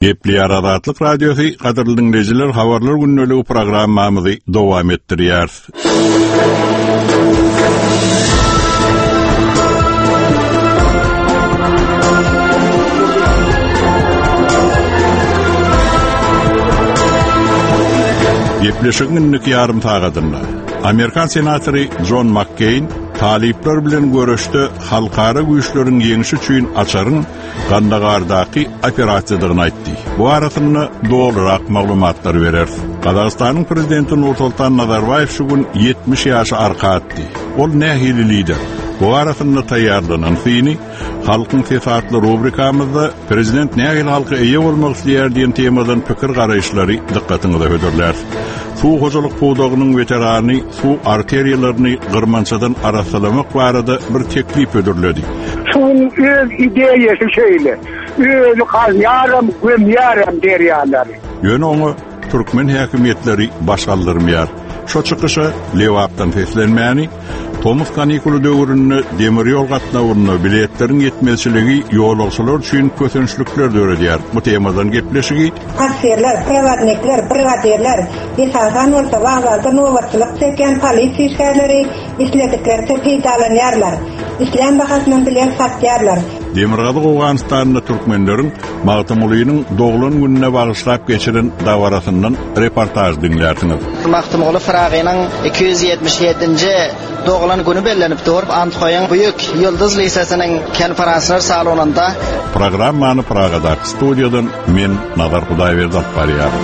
Gepleýär Azatlyk Radiosy, gadyrly diňleýjiler, habarlar gündeligi programmamyzy dowam etdirýäris. Gepleşigiň indiki ýarym sagadynda Amerikan senatory Jon Makkeýn talyplar bilen göreşde halkara güýçleriň ýeňşi üçin açaryň Gandagardaky operasiýadygyny aýtdy. Bu arasynda dolurak maglumatlary bereris. Gazagystanyň prezidenti Nursoltan Nazarbaýew şu gün 70 ýaşy arka atdy. Ol nähili lider? Bu arasynda taýýarlanan syny Halkyň sesi atly rubrikamyzda Prezident nähili halka eýe bolmak isleýär diýen temadan pikir-garaýyşlary dykgatyňyza hödürläris. Suw hojalyk pudagynyň weterany suw arteriýalaryny gyrmançadan arassalamak barada bir teklip hödürledi. Suwuň öz ideýasy şeýle. Özi gazýaram, gömýärem derýalary. Ýöne oňa türkmen häkimiýetleri baş galdyrmaýar. Şo çykyşa Lebapdan seslenmäni, tomus kanikuly döwründe demir ýol gatnawynda biletleriň ýetmezçiligi ýolagçylar üçin kösençlikler döredýär. Bu temadan gepleşigi Kassirler, prowodnikler, brigadirler, esasan bolsa wokzalda nobatçylyk çekýän polisiýa işgärleri isledikleriçe peýdalanýarlar. Islän bahasyndan bilet satýarlar. Demirgazyk Owganystanda türkmenleriň Magtymgulynyň doglan gününe bagyşlap geçiren dabarasyndan reportaž diňlärsiňiz. Magtymguly Pyragynyň 277-nji doglan güni bellenip dur. Andhoýyň Büýük Ýyldyz lisesiniň konferanslar salonynda. Programmany Pragadaky studiýadan men Nazar Hudaýberdi alyp barýaryn.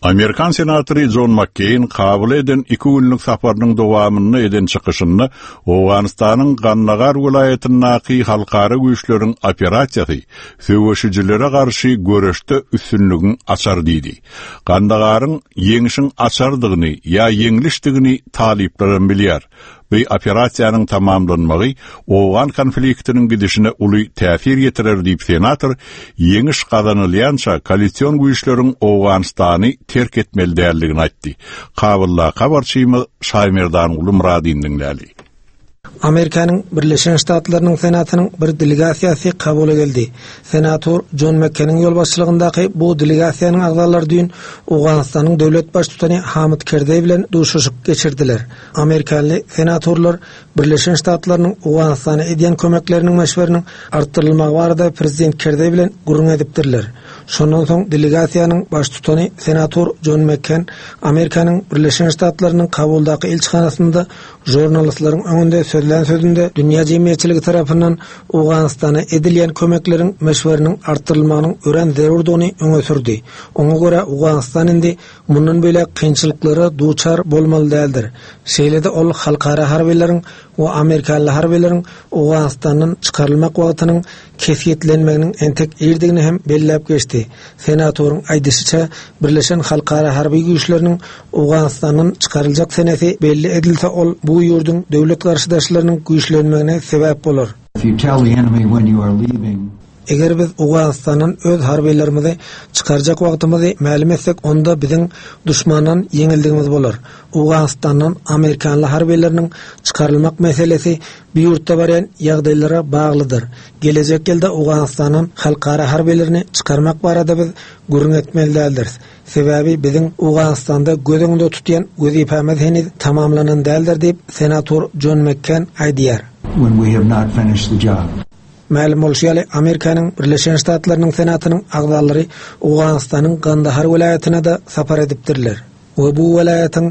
Amerikan senatory Jon Makkeýn Kabula eden iki günlük saparynyň dowamynda eden çykyşynda Owganystanyň Gandagar welaýatyndaky halkara güýçleriň operasiýasy söweşijilere garşy göreşde üstünligiň açary diýdi. Gandagaryň ýeňşiň açarydygyny ýa ýeňlişdigini talyplaram bilýär. Bu operasiýanyň tamamlanmagy owgan konfliktiniň gidişine uly täsir ýetirer diýip senator, ýeňiş gazanylýança koalision güýçleriň Owganystany terk etmeli däldigini aýtdy. Kabuldaky habarçymyz Şaýmerdanguly Myradyny diňläli. Amerikanyň Birleşen Ştatlarynyň Senatynyň bir delegasiýasy Kabula geldi. Senator Jon Mekkeniň ýolbaşçylygyndaky bu delegasiýanyň agzalary düýn Owganystanyň döwlet baştutany Hamid Kerzeý bilen duşuşyk geçirdiler. Amerikanly senatorlar Birleşen Ştatlarynyň Owganystana edýän kömekleriniň möçberiniň artdyrylmagy barada prezident Kerzeý bilen gürrüň edipdirler. Şondan soň delegasiýanyň baştutany senator Jon Mekken Amerikanyň Birleşen Ştatlarynyň Kabuldaky ilçihanasynda žurnalistleriň öňünde sözlän sözünde dünýä jemgyýetçiligi tarapyndan Owganystana edilýän kömekleriň möçberiniň artdyrylmagynyň örän zerurdygyny öňe sürdi. Oňa görä Owganystan indi mundan beýläk kynçylyklara duçar bolmaly däldir. Şeýle-de ol halkara harbylaryň we amerikanly harbylaryň Owganystandan çykarylmak wagtynyň kesgitlenmeginiň entek irdigini hem belläp geçdi. Senatoryň aýdyşyça, Birleşen halkara harby güýçleriniň Owganystandan çykaryljak senesi belli edilse ol bu ýurduň döwlet garşydaşlarynyň güýçlenmegine sebäp bolar. If you tell the enemy when you are leaving. Eger biz Owganystandan öz harbylarymyzy çykarjak wagtymyzy mälim etsek, onda biziň duşmandan ýeňildigimiz bolar. Owganystandan amerikanly harbylarynyň çykarylmak meselesi bu ýurtda barýan ýagdaýlara baglydyr. Gelejek ýylda Owganystandan halkara harbylaryny çykarmak barada biz gürrüň etmeli däldiris. Sebäbi biziň Owganystanda göz öňünde tutýan wezipämiz heniz tamamlanan däldir diýip, senator Jon Mekken aýdýar. When we have not finished the job. Mälim bolşy ýaly, Amerikanyň Birleşen Ştatlarynyň Senatynyň agzalary Owganystanyň Gandahar welaýatyna-da sapar edipdirler we bu welaýatyň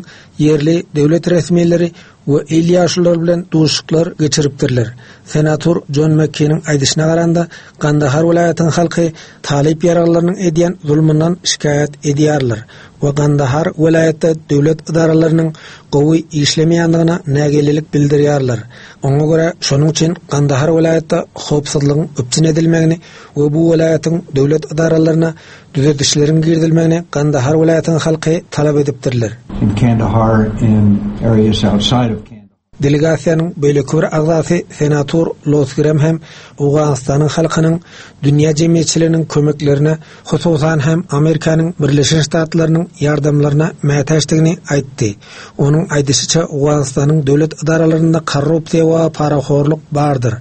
ýerli döwlet resmileri we il ýaşululary bilen duşuşyklar geçiripdirler. Senator Jon Mekkiniň aýdyşyna garanda, Gandahar welaýatyň halky talyp ýaraglylarynyň edýän zulmundan şikaýat edýärler we Gandahar welaýatda döwlet ydaralarynyň gowy işlemeýändigine nägilelik bildirýärler. Oňa görä, şonuň üçin Gandahar welaýatda howpsuzlygyň üpjün edilmegini we bu welaýatyň döwlet ydaralaryna düzedişleriň girizilmegini Gandahar welaýatyň halky talap edipdirler. In Kandahar and areas outside of Kandahar. Delegasiýanyň beýleki bir agzasy senator Los Grem hem Owganystanyň halkynyň dünýä jemgyýetçiliginiň kömeklerine, hususan hem Amerikanyň Birleşen Ştatlarynyň ýardamlaryna mätäçdigini aýtdy. Onuň aýdyşyça, Owganystanyň döwlet edaralarynda korrupsiýa we parahorluk bardyr.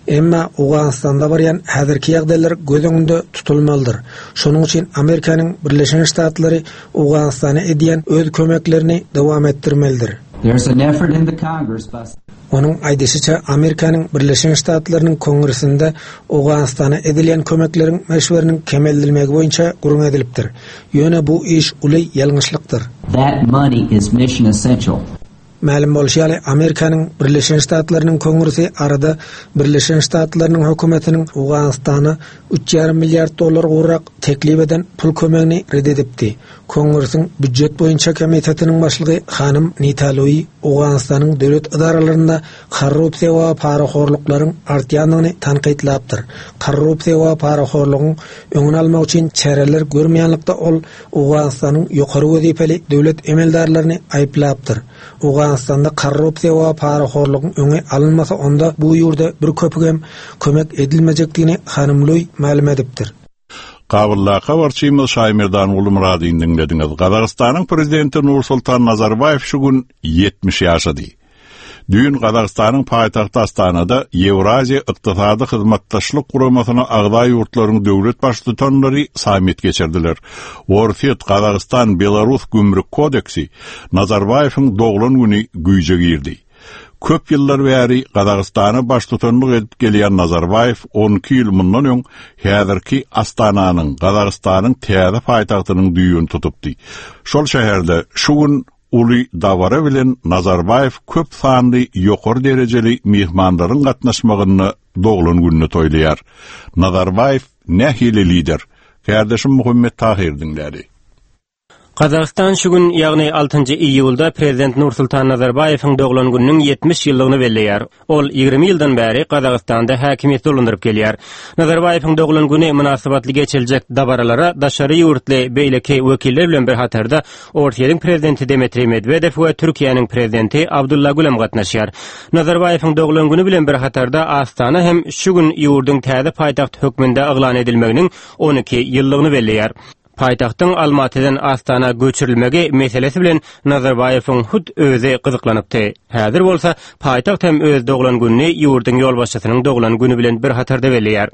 Emma Owganystanda barýan häzirki ýagdaýlar göz öňünde tutulmalydyr. Şonuň üçin Amerikanyň Birleşen Ştatlary Owganystana edýän öz kömeklerini dowam etdirmelidir. There's an effort in the Congress by. Onuň aýdyşyça, Amerikanyň Birleşen Ştatlarynyň Kongresinde Owganystana edilýän kömekleriň möçberiniň kemeldilmegi boýunça gürrüň edilipdir. Ýöne bu iş uly ýalňyşlykdyr. That money is mission essential. Mälim bolşy ýaly, Amerikanyň Birleşen Ştatlarynyň Kongresi arada Birleşen Ştatlarynyň hökümetiniň Owganystana üç ýarym milliard dollar gowrak teklip eden pul kömegini ret edipdi. Kongresiň Býujet boýunça komitetiniň başlygy hanym Nita Lui Owganystanyň döwlet edaralarynda korrupsiýa we parahorluklaryň artýandygyny tankytlapdyr. Korrupsiýa we parahorlugyň öňüni almak üçin çäreler görmeýänlikde ol Owganystanyň ýokary wezipeli döwlet emeldarlaryny aýyplapdyr. Owganystanda korrupsiýa we parahorlugyň öňi alynmasa onda bu ýurda bir köpügem kömek edilmejekdigini hanym Lui mälim edipdir. Kabuldaky habarçymyz Şaýmerdan Gulmyradyny diňlediňiz. Gazagystanyň prezidenti Nursultan Nazarbaýew şu gün 70 ýaşady. Düýn Gazagystanyň paýtagty Astanada Ýewraziýa Ykdysady Hyzmatdaşlyk Guramasyna agza ýurtlaryň döwlet baştutanlary sammit geçirdiler. Orsýet, Gazagystan, Belarus gümrük kodeksi Nazarbaýewiň doglan güni güýje girdi. Köp ýyllar bäri Gazagystana baştutanlyk edip gelýän Nazarbaýew 12 ýyl mundan öň häzirki Astananyň, Gazagystanyň täze paýtagtynyň düýbüni tutupdy. Şol şäherde şu gün uly dabara bilen Nazarbaýew köp sanly ýokary derejeli myhmanlaryň gatnaşmagynda doglan gününi toýlaýar. Nazarbaýew nähili lider? Kärdeşim Muhammet Tahyr diňläli. Gazagystan şu gün, ýagny altynjy iýulda prezident Nursultan Nazarbaýewiň doglan gününiň 70 ýyllygyny belleýär. Ol 20 ýyldan bäri Gazagystanda häkimiýeti dolandyryp gelýär. Nazarbaýewiň doglan güni mynasybetli geçiriljek dabaralara daşary ýurtly beýleki wekiller bilen bir hatarda Orsýetiň prezidenti Dmitriý Medwedew we Türkiýäniň prezidenti Abdulla Gül hem gatnaşýar. Nazarbaýewiň doglan güni bilen bir hatarda Astana hem şu gün ýurduň täze paýtagt hökmünde yglan edilmeginiň 12 ýyllygyny belleýär. Paýtagtyň Almatydan Astana göçürilmegi meselesi bilen Nazarbaýewiň hut özi gyzyklanypdy. Häzir bolsa paýtagt hem öz doglan gününi ýurduň ýolbaşçysynyň doglan güni bilen bir hatarda belleýär.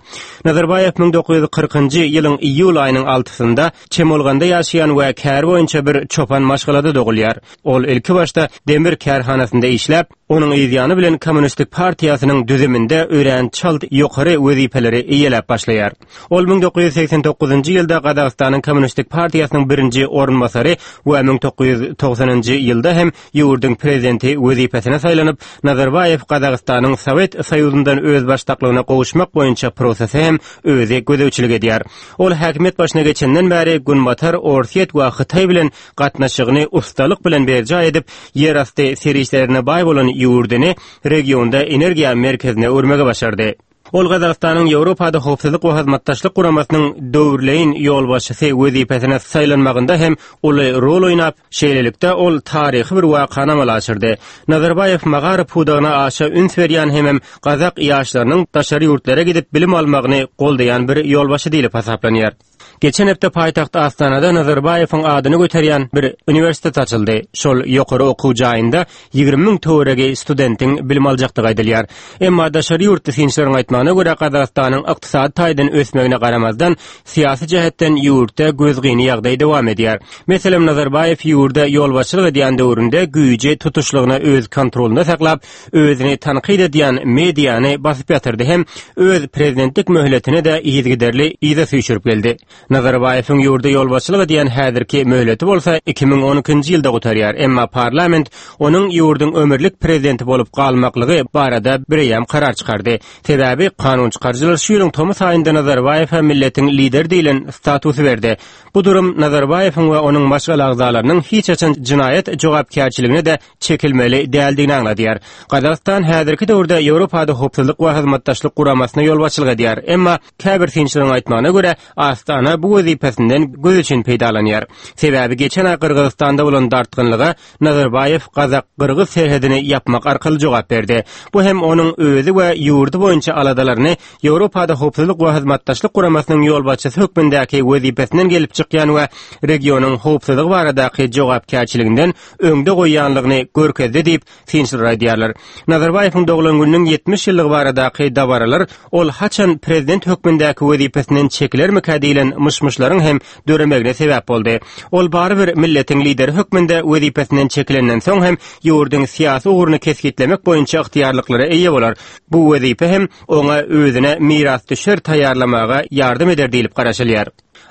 Nazarbaýew 1940-njy ýylyň iýul aýynyň altysynda Çemolganda ýaşaýan we käri boýunça bir çopan maşgalada dogulýar. Ol ilkibaşda demir kärhanasynda işläp, onuň yzýany bilen Kommunistik partiýasynyň düzüminde örän çalt ýokary wezipeleri eýeläp başlaýar. Ol 1989-njy ýylda Gazagystanyň Kommunistik partiýasynyň birinji orunbasary we 1990-njy ýylda hem ýurduň prezidenti wezipesine saýlanyp, Nazarbaýew Gazagystanyň Sowet Soýuzyndan özbaşdaklygyna gowuşmak boýunça prosese hem özi gözegçilik edýär. Ol häkimiýet başyna geçenden bäri Günbatar, Orsýet we Hytaý bilen gatnaşygyny ussalyk bilen berjaý edip, ýerasty serişdelerine baý bolan ýurduny regionda energiýa merkezine öwürmegi başardy. Ol Gazagystanyň Ýewropada Howpsuzlyk we Hyzmatdaşlyk Guramasynyň döwürleýin ýolbaşçysy wezipesine saýlanmagynda hem uly rol oýnap, şeýlelikde, ol taryhy bir wakany amala aşyrdy. Nazarbaýew magaryf pudagyna aşa üns berýän hemem gazak ýaşlarynyň daşary ýurtlara gidip bilim almagyny goldaýan bir ýolbaşçy diýlip hasaplanýar. Geçen hepde paýtagt Astanada Nazarbaýewiň adyny göterýän bir uniwersitet açyldy. Şol ýokary okuw jaýynda 20 müň töweregi studentiň bilim aljakdygy aýdylýar. Emma daşary ýurtly synçylaryň aýtmagyna görä, Gazagystanyň ykdysady taýdan ösmegine garamazdan, syýasy jähetden ýurtda gözgyny ýagdaý dowam edýär. Meselem, Nazarbaýew ýurda ýolbaşçylyk edýän döwründe güýji tutuşlygyna öz kontrolynda saklap, özüni tankyt edýän mediany basyp ýatyrdy hem öz prezidentlik möhletini-de yzygiderli yza süýşürip geldi. Nazarbaýewiň ýurda ýolbaşçylyk edýän häzirki möhleti bolsa 2012-nji ýylda gutarýar, emma parlament onuň ýurduň ömürlik prezidenti bolup galmaklygy barada bireýýäm karar çykardy. Sebäbi kanunçykaryjylar şu ýylyň tomus aýynda Nazarbaýewe milletiň lideri diýlen statusy berdi. Bu durum Nazarbaýewiň we onuň maşgala agzalarynyň hiç haçan jenaýat jogapkärçiligine-de çekilmeli däldigini aňladýar. Gazagystan häzirki döwürde Ýewropada Howpsuzlyk we Hyzmatdaşlyk Guramasyna ýolbaşçylyk edýär. Emma käbir synçylaryň aýtmagyna görä, Astana bolsa bu wezipesinden göz üçin peýdalanýar. Sebäbi geçen aý Gyrgyzystanda bolan dartgynlyga Nazarbaýew gazak-gyrgyz serhedini ýapmak arkaly jogap berdi. Bu hem onuň özi we ýurdy boýunça aladalaryny Ýewropada Howpsuzlyk we Hyzmatdaşlyk Guramasynyň ýolbaşçysy hökmündäki wezipesinden gelip çykýan we regionyň howpsuzlygy baradaky jogapkärçiliginden öňde goýýanlygyny görkezdi diýip, synçylar aýdýarlar. Nazarbaýewiň doglan gününiň 70 ýyllygy baradaky dabaralar ol haçan prezident hökmündäki wezipesinden çekilermikä diýlen myş-myşlaryň hem döremegine sebäp boldy. Ol barybir milletiň lideri hökmünde wezipesinden çekilenden soň hem ýurduň syýasy ugruny kesgitlemek boýunça ygtyýarlyklara eýe bolar. Bu wezipe hem oňa özüne mirasdüşer taýýarlamaga ýardam eder diýlip garaşylýar.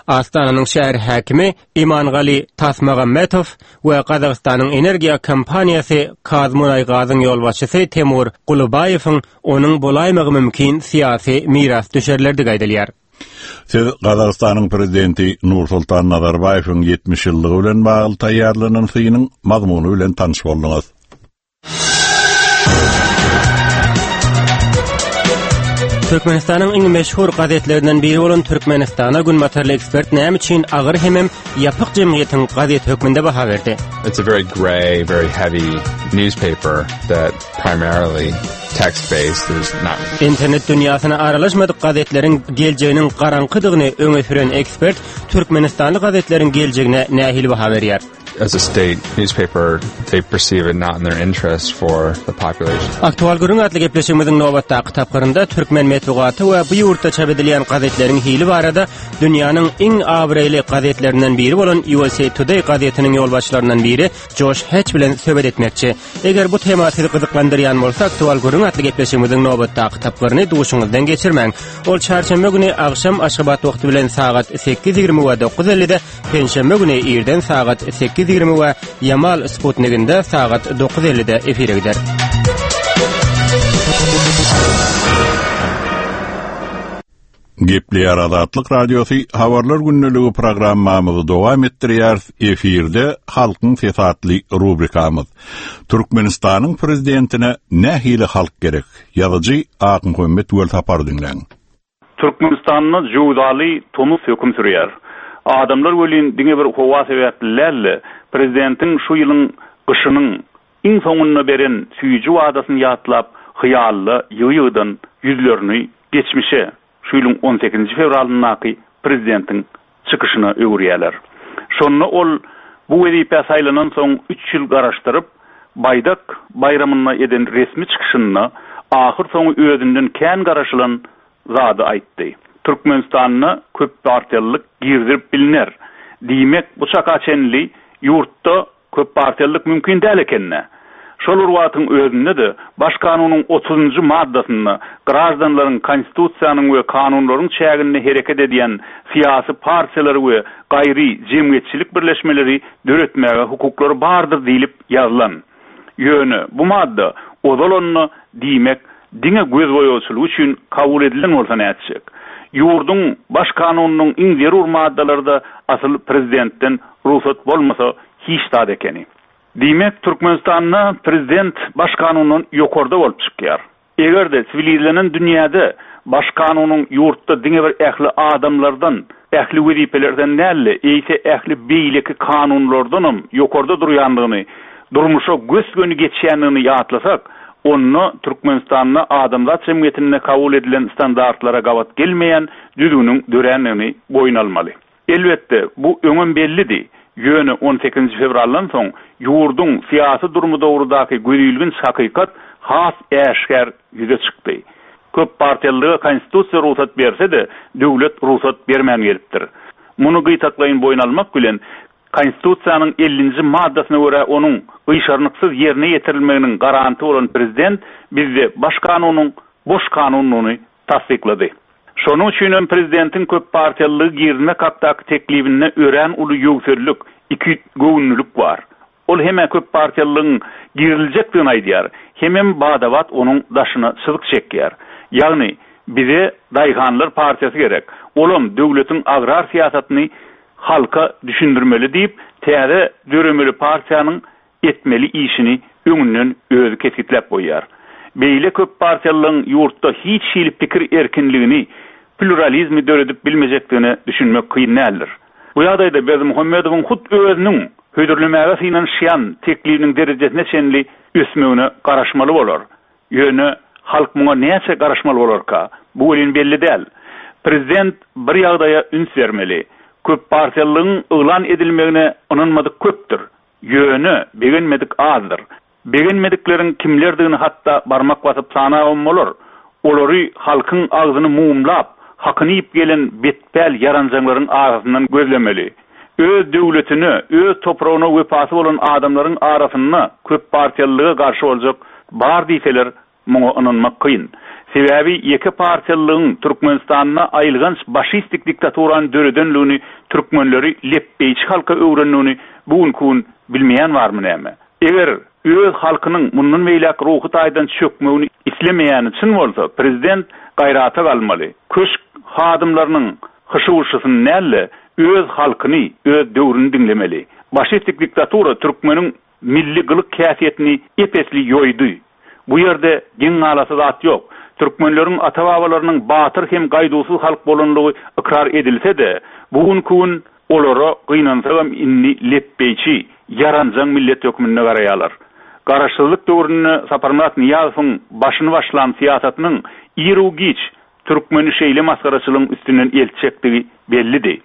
Astananyň şäher häkimi Imangali Tasmagambetow we Gazagystanyň energiýa kompaniýasy KazMunaýGazyň ýolbaşçysy Temur Gulubaýewiň onuň bolaýmagy mümkin syýasy mirasdüşerlerdigi aýdylýar. Siz Gazagystanyň prezidenti Nursultan Nazarbaýewiň 70 ýyllygy bilen bagly taýýarlanan synyň mazmuny bilen tanyş bolduňyz. Türkmenistanyň iň meşhur gazetlerinden biri bolan Türkmenistana günbatarly ekspert näme üçin agyr hemem ýapyk jemgyýetiň gazeti hökmünde baha berdi? It's a very gray, very heavy newspaper that primarily text-based. There's not Internet dünýäsine aralaşmadyk gazetleriň geljeginiň garaňkydygyny öňe süren ekspert türkmenistanly gazetleriň geljegine nähili baha berýär? As a state newspaper, they perceive it not in their interest for the population. Aktual gürrüň atly gepleşigimiziň nobatdaky tapgyrynda türkmen metbugaty we bu ýurtda çap edilýän gazetleriň hili barada dünýäniň iň abraýly gazetlerinden biri bolan USA Today gazetiniň ýolbaşçylaryndan biri Joş Heç bilen söhbet etmekçi. Eger bu tema sizi gyzyklandyrýan bolsa, Aktual gürrüň atly gepleşigimiziň nobatdaky tapgyryny duşuňyzdan geçirmäň. Ol çarşenbe güni agşam Aşgabat wagty bilen sagat 8:20 we 9:50-de Penşenbe güni irden sagat 8:20 we Ýamal sputniginde sagat 9:50-de efire gider. Gepleýär Azatlyk Radiosy Habarlar gündeligi programmamyzy dowam etdirýäris. Efirde Halkyň sesi atly rubrikamyz. Türkmenistanyň prezidentine nähili halk gerek? Ýazyjy Akmuhammet Welsapary diňläň. Türkmenistanda jöwzaly tomus höküm sürýär. Adamlar welin diňe bir howa sebäpli däl-de, prezidentiň şu ýylyň gyşynyň iň soňunda beren süýji wadasyny ýatlap, hyýalda ýygy-ýygydan ýüzlerini geçmişe, şu ýylyň on sekizinji fewralyndaky prezidentiň çykyşyna öwürýärler. Şonda ol bu wezipä saýlanansoň üç ýyl garaşdyryp, Baýdak baýramynda eden resmi çykyşynda ahyrsoňy özünden kän garaşylan zady aýtdy. Türkmenistanda köppartiýalylyk girizilip bilner. Diýmek, bu çaka çenli ýurtda Köppartiýalylyk mümkin däl eken-dä. Şol bir wagtyň özünde-de, Baş kanunyň otuzynjy maddasynda graždanlaryň Konstitusiýanyň we kanunlaryň çäginde hereket edýän syýasy partiýalary we gaýry jemgyýetçilik birleşmeleri döretmäge hukuklary bardyr diýlip ýazylan. Ýöne bu madda ozal onda, diýmek, diňe gözboýagçylyk üçin kabul edilen bolsa nätjek? Ýurduň Baş kanunynyň iň zerur maddalary-da asyl prezidentden rugsat bolmasa hiç zat ekeni. Diýmek, Türkmenistanda prezident Baş kanundan ýokarda bolup çykýar. Eger-de siwilizlenen dünýäde Baş kanunyň ýurtda diňe bir ähli adamlardan, ähli wezipelerden däl-de, eýse ähli beýleki kanunlardanam ýokarda durýandygyny, durmuşa gös-göni geçýändigini ýatlasak, onda Türkmenistanda adamzat jemgyýetinde kabul edilen standartlara gabat gelmeýän düzgüniň dörändigini boýun almaly. Elbetde, bu öňem bellidi. Ýöne on sekizinji fewraldan soň ýurduň syýasy durumy dogrudaky gözilginç hakykat has äşgär ýüze çykdy. Köppartiýalylyga Konstitusiýa rugsat berse-de, döwlet rugsat bermän gelipdir. Muny gytaklaýyn boýun almak bilen, Konstitusiýanyň ellinji maddasyna görä onuň gyşarnyksyz ýerine ýetirilmeginiň garanty bolan prezident bizde Baş kanunyň boş kanundygyny tassyklady. Şonuň üçinem prezidentiň köppartiýalylygy girizmek hakdaky teklibinde örän uly ýöwsellik, ikigöwünlilik bar. Ol hem-ä köppartiýalylygyň giriziljekdigini aýdýar, hemem bada-bat onuň daşyna çyzyk çekýär. Ýagny, bize daýhanlar partiýasy gerek, olam döwletiň agrar syýasatyny halka düşündirmeli diýip, täze döremeli partiýanyň etmeli işini öňünden özi kesgitläp goýýar. Beýle köppartiýalylygyň ýurtda hiç hili pikir erkinligini. pluralizmi döredip bilmejekdigine düşünmek kyn däldir. Bu ýagdaýda Berdimuhamedowyň hut özüniň hödürlemäge synanyşýan teklibiniň derejesine çenli ösmegine garaşmaly bolar. Ýöne halk muňa näçe garaşmaly bolarka? Bu welin belli däl. Prezident bir ýagdaýa üns bermeli. Köppartiýalylygyň yglan edilmegine ynanmadyk köpdür. Ýöne begenmedik azdyr. Begenmedikleriň kimlerdigini hatda barmak basyp sanabam bolar. Olary halkyň agzyny mumlap, hakyny iýip gelen betpäl ýaranjaňlaryň arasyndan gözlemeli. Öz döwletine, öz topragyna wepasy bolan adamlaryň arasynda köppartiýalylyga garşy boljak bar diýseler, muňa ynanmak kyn. Sebäbi ýeke partiýalylygyň Türkmenistanda aýylganç başistik diktaturany döredenligini, türkmenleri lepbeýçi halka öwrendigini bu günki gün bilmeýän barmy näme? Eger öz halkynyň mundan beýläk ruhy taýdan çökmegini islemeýäni çyn bolsa, prezident gaýrata galmaly. Köşk hadymlarynyň hyşy-wyşysyny däl-de, öz halkyny, öz döwrüni diňlemeli. Başistik diktatura türkmeniň milli gylyk-häsiýetini ep-esli ýoýdy. Bu ýerde geň galasy zat ýok. Türkmenleriň ata-babalarynyň batyr hem gaýduwsyz halk bolanlygy ykrar edilse-de, bu günki gün olara gynansagam indi lepbeýçi, ýaranjaň millet hökmünde garaýarlar. Garaşsyzlyk döwründe Saparmyrat Nyýazowyň başyny başlan syýasatynyň iru-giç türkmeni şeýle masgaraçylygyň üstünden eltjekdigi bellidi.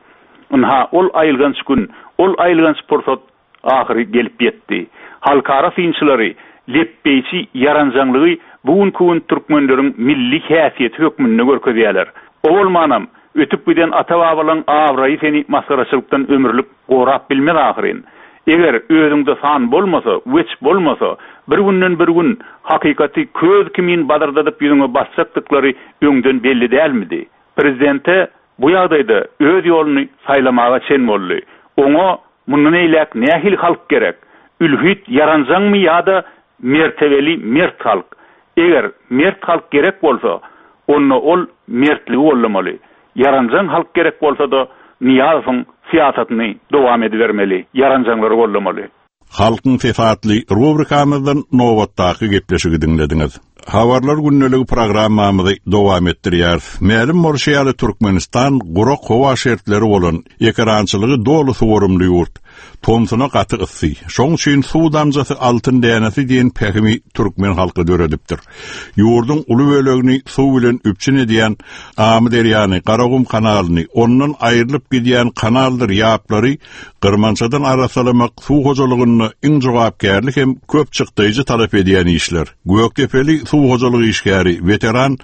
Ynha, ol aýylganç gün, ol aýylganç pursat ahyry gelip ýetdi. Halkara synçylary lepbeýçi ýaranjaňlygy bu günki gün türkmenleriň milli häsiýeti hökmünde görkezýärler. O bolmanam, ötüp giden ata-babalaň abraýy seni masgaraçylykdan ömürlik gorap bilmez ahyryn. Eger özüňde san bolmasa, weç bolmasa, bir günden bir gün hakykaty köz kimin bazyrdadyp ýüzüňe basjakdyklary öňden belli dälmidi? Prezidente bu ýagdaýda öz ýoluny saýlamaga çen boldy. Oňa mundan eýläk nähili halk gerek? Ülhit ýaranjaňmy ýa-da mertebeli mert halk? Eger mert halk gerek bolsa, onda ol mertligi goldamaly. Ýaranjaň halk gerek bolsa-da, Nyýazowyň syýasatyny dowam edibermeli, ýaranjaňlary goldamaly. Halkyň sesi atly rubrikamyzdan nobatdaky gepleşigi diňlediňiz. Habarlar gündeligi programmamyzy dowam etdirýäris. Mälim bolşy ýaly, Türkmenistan gurak howa şertleri bolan, ekerançylygy doly suwarymly ýurt. Tomsuna gaty yssy. Şoň üçin suw damjasy altyn dänesi diýen pähimi türkmen halky döredipdir. Ýurduň uly bölegini suw bilen üpjün edýän Amyderýany, Garagum kanalyny, ondan aýrylyp gidýän kanaldyr ýaplary Gyrmançadan arassalamak suw hojalygynda iň jogapkärli hem köp çykdaýjy talap edýän işler. Gökdepeli suw hojalyk işgäri, weteran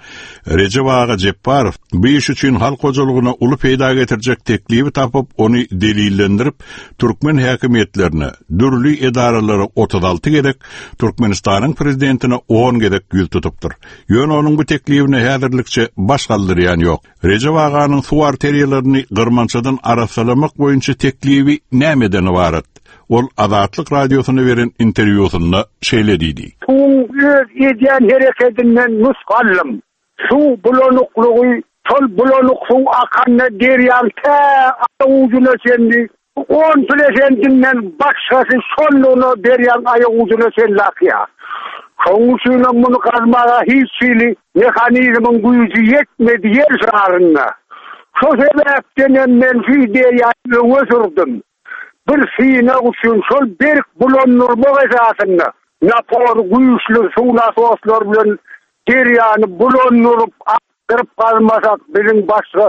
Rejep aga Jepbarow bu iş üçin halk hojalygyna uly peýda getirjek teklibi tapyp, ony delillendirip, türkmen häkimiýetlerine, dürli edaralara 36 gezek, Türkmenistanyň prezidentine on gezek ýüz tutupdyr. Ýöne onuň bu teklibine häzirlikçe baş galdyrýan ýok. Rejep aganyň suw arteriýalaryny gyrmançadan arassalamak boýunça teklibi nämeden ybarat? Ol Azatlyk Radiosyna beren interwýusynda şeýle diýdi. Suwuň öz edýän herekedinden nusga aldym. Suw bulanyklygy, şol bulanyk suw akanda derýaň tä aýak ujuna çenli On prosentinden başgasy şonlugyna derýaň aýak ujuna çenli akýar. Şonuň üçinem muny gazmaga hiç hili mehanizmiň güýji ýetmedi ýer şarynda. Şo sebäpdenem men şu ideýany öňe sürdüm. Bir synag üçin şol berk bulandyrmak esasynda napory güýçli suw nasoslary bilen derýany bulandyryp Gyryp gazmasak biziň başga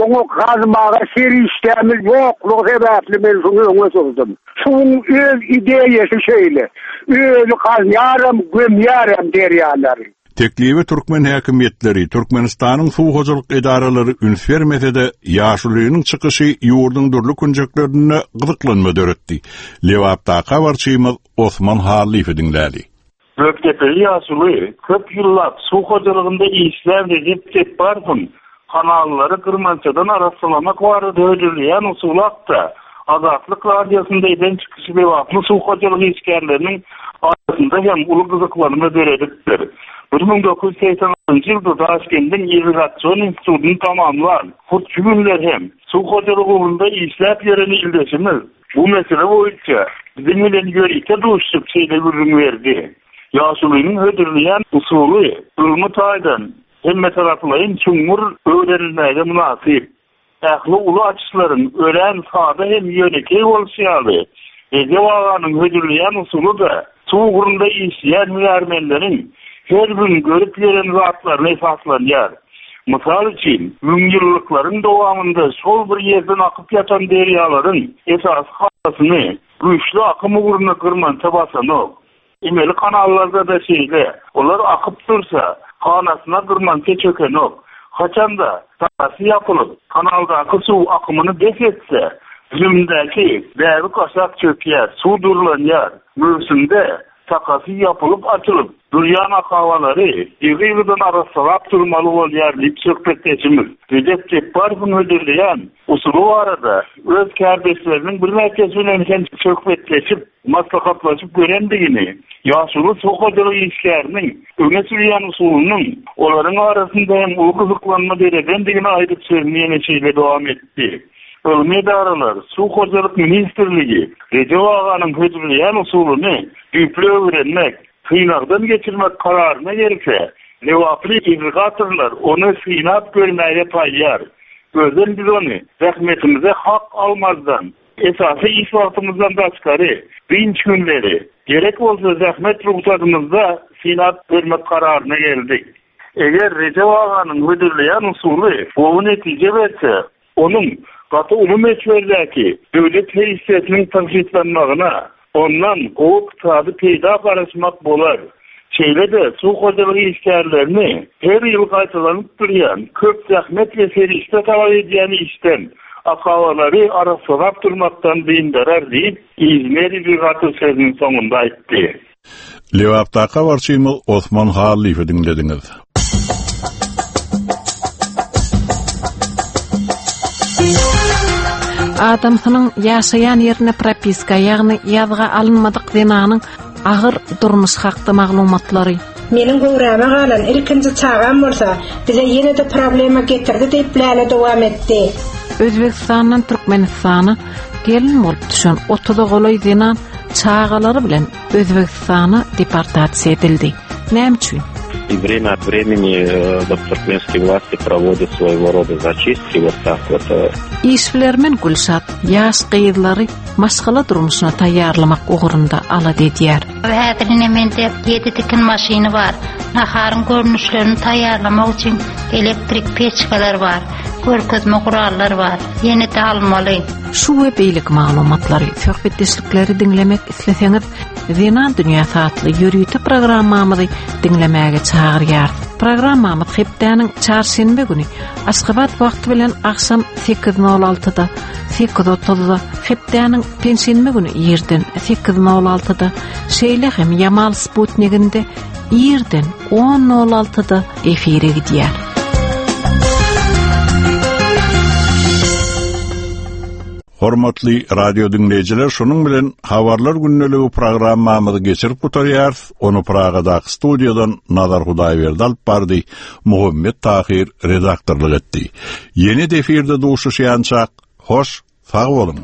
oňa gazmaga serişdämiz ýoklugy sebäpli men şuny öňe sürdüm. Suwuň öz ideýasy şeýle. Özi gazýaram, gömýärem derýalary. Teklibe türkmen häkimiýetleri, Türkmenistanyň suw hojalyk edaralary üns bermese-de, ýaşulynyň çykyşy ýurduň dürli künjeklerinde gyzyklanma döretdi. Lebapdaky habarçymyz Osman Hallyýewi diňläli. Gökdepeli ýaşuly, köp ýyllap suw hojalygynda işlän Rejep Jepbarowyň kanallary gyrmançadan arassalamak barada hödürleýän usuly hakda Azatlyk Radiosynda eden çykyşy lebaply suw hojalyk işgärleriniň arasynda hem uly gyzyklanma döredipdir. 1986-njy ýylda Daşkendiň irrigasion institutyny tamamlan, hut şu günler hem suw hojalygy ugrunda işläp ýören ildeşimiz, Bu mesele boýunça biziň bilen ýörite duşuşyp şeýle gürrüň berdi, Ýaşulynyň hödürleýän usuly ylmy taýdan hemmetaraplaýyn çuňňur öwrenilmäge mynasyp. Ähli uly açyşlaryň örän sada hem ýönekeý bolşy ýaly, Rejep aganyň hödürleýän usuly-da suw ugrunda işleýän hünärmenleriň her gün görüp ýören zatlaryna esaslanýar. Mysal üçin, müňýyllyklaryň dowamynda şol bir ýerden akyp ýatan derýalaryň esasy hanasyny güýçli akym ugruna gyrmança basanok. Emeli kanallarda-da şeýle, olar akyp dursa, hanasyna gyrmança çökenok. Haçan-da, sakasy ýapylyp, kanaldaky suw akymyny bes etse, düzümindäki bäbek aşak çökýär, suw durlanýar. Möwsümde sakasy ýapylyp-açylyp durýan akabalary ýygy-ýygydan arassalap durmaly bolýar diýip, söhbetdeşimiz Rejep Jepbarowyň hödürleýän usuly barada öz kärdeşleriniň birnäçesi bilen hem söhbetleşip, maslahatlaşyp görendigini, ýaşuly suw hojalyk işgäriniň öňe sürýän usulynyň olaryň arasynda hem uly gyzyklanma döredendigini aýdyp sözüni ýene şeýle dowam etdi, Ylmy edaralar, Suw hojalyk ministrligi Rejep aganyň hödürleýän usulyny düýpli öwrenmek, synagdan geçirmek kararyna gelse, lebaply irrigatorlar ony synap görmäge taýýar. Özem biz ony zähmetimize hak almazdan, Esasy iş wagtymyzdan daşgary, dynç günleri, gerek bolsa zähmet rugsadymyzda synap görmek kararyna geldik. Eger Rejep aganyň hödürleýän usuly gowy netije berse, onuň gaty uly möçberdäki döwlet serişdesiniň tygşytlanmagyna, ondan gowy ykdysady peýda garaşmak bolar. Şeýle-de suw hojalygy işgärlerini her ýyl gaýtalanyp durýan, köp zähmet we serişde talap edýän işden, akabalary arassalap durmakdan dyndarar diýip, inžener-irrigator sözüniň soňunda aýtdy. Lebapdaky habarçymyz Osman Hallyýewi diňlediňiz. Adamsynyň ýaşaýan ýerine propiska, ýagny ýazga alynmadyk zenanyň agyr durmuş hakda maglumatlary. Meniň göwräme galan ilkinji çagam bolsa bize ýene-de problema getirdi diýip Läle dowam etdi. Özbegistandan Türkmenistana gelin bolup düşen otuza golaý zenan çagalary bilen Özbegistana deportasiýa edildi. Näme üçin? И время от времени э, вот туркменские власти проводят своего рода зачистки вот так вот. Э. Işbilermen Gülşat ýaş gyzlary maşgala durmuşyna taýýarlamak ugrunda alada edýär. Häzir ine mende ýedi tikin maşyny bar. Naharyň görnüşlerini taýýarlamak üçin elektrik peçkalar bar. Görkezme gurallar bar. Ýene-de almaly. Şu we beýleki maglumatlary, söhbetdeşlikleri diňlemek isleseňiz, Zenan dünýäsi atly ýörite programmamyzy diňlemäge çagyrýarys. Programmamyz hepdäniň çarşenbe güni Aşgabat wagty bilen agşam 8:06-da, 8:30-da, hepdäniň penşenbe güni irden 8:06-da, şeýle hem Ýamal sputniginde irden 10:06-da efire gidýär. Hormatly radio diňleýjiler, şunuň bilen Habarlar gündeligi programmamyzy geçirip gutarýarys. Ony Pragadaky studiýadan Nazar Hudaýberdi alyp bardy, Muhammet Tahyr redaktorlyk etdi. Ýene-de efirde duşuşýançak, hoş, sag boluň!